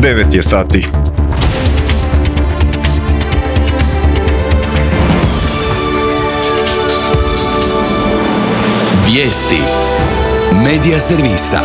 9 je sati. Vijesti Medija servisa.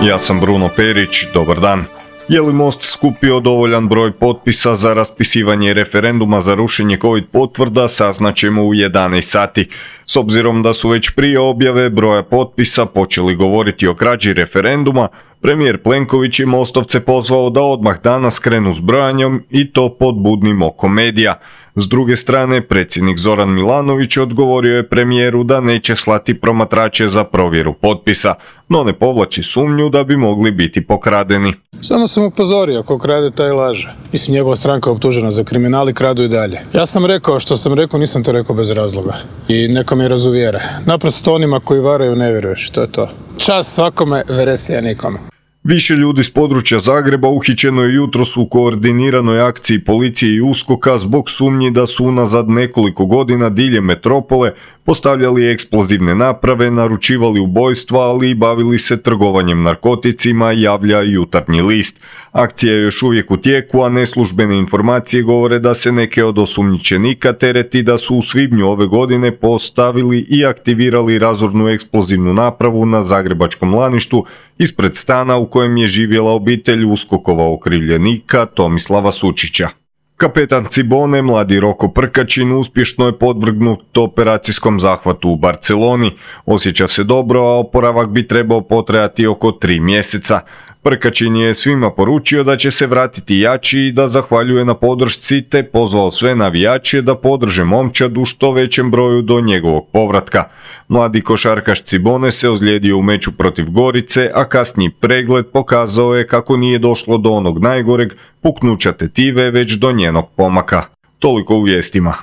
Ja sam Bruno Perić, dobar dan. Je li Most skupio dovoljan broj potpisa za raspisivanje referenduma za rušenje COVID potvrda, saznaćemo u 11 sati. S obzirom da su već prije objave broja potpisa počeli govoriti o krađi referenduma, premijer Plenković je Mostovce pozvao da odmah danas krenu s brojanjem i to pod budnim okom medija. S druge strane, predsjednik Zoran Milanović odgovorio je premijeru da neće slati promatrače za provjeru potpisa, no ne povlači sumnju da bi mogli biti pokradeni. Samo sam upozorio, ko krade taj laže. Mislim, njegova stranka je optužena za kriminal i kradu i dalje. Ja sam rekao što sam rekao, nisam to rekao bez razloga. I neko me razuvjere. Naprosto onima koji varaju ne vjeruješ, to je to. Čast svakome, veresija nikome. Više ljudi s područja Zagreba uhićeno je jutros u koordiniranoj akciji policije i USKOK-a zbog sumnji da su unazad nekoliko godina diljem metropole postavljali eksplozivne naprave, naručivali ubojstva, ali i bavili se trgovanjem narkoticima, javlja Jutarnji list. Akcija je još uvijek u tijeku, a neslužbene informacije govore da se neke od osumnjičenika tereti da su u svibnju ove godine postavili i aktivirali razornu eksplozivnu napravu na zagrebačkom Laništu ispred stana u kojem je živjela obitelj USKOK-ova okrivljenika Tomislava Sučića. Kapetan Cibone, mladi Roko Prkačin, uspješno je podvrgnut operacijskom zahvatu u Barceloni. Osjeća se dobro, a oporavak bi trebao potrajati oko 3 mjeseca. Prkačin je svima poručio da će se vratiti jači i da zahvaljuje na podršci, te pozvao sve navijače da podrže momčad u što većem broju do njegovog povratka. Mladi košarkaš Cibone se ozlijedio u meču protiv Gorice, a kasniji pregled pokazao je kako nije došlo do onog najgoreg puknuća tetive, već do njenog pomaka. Toliko u vijestima.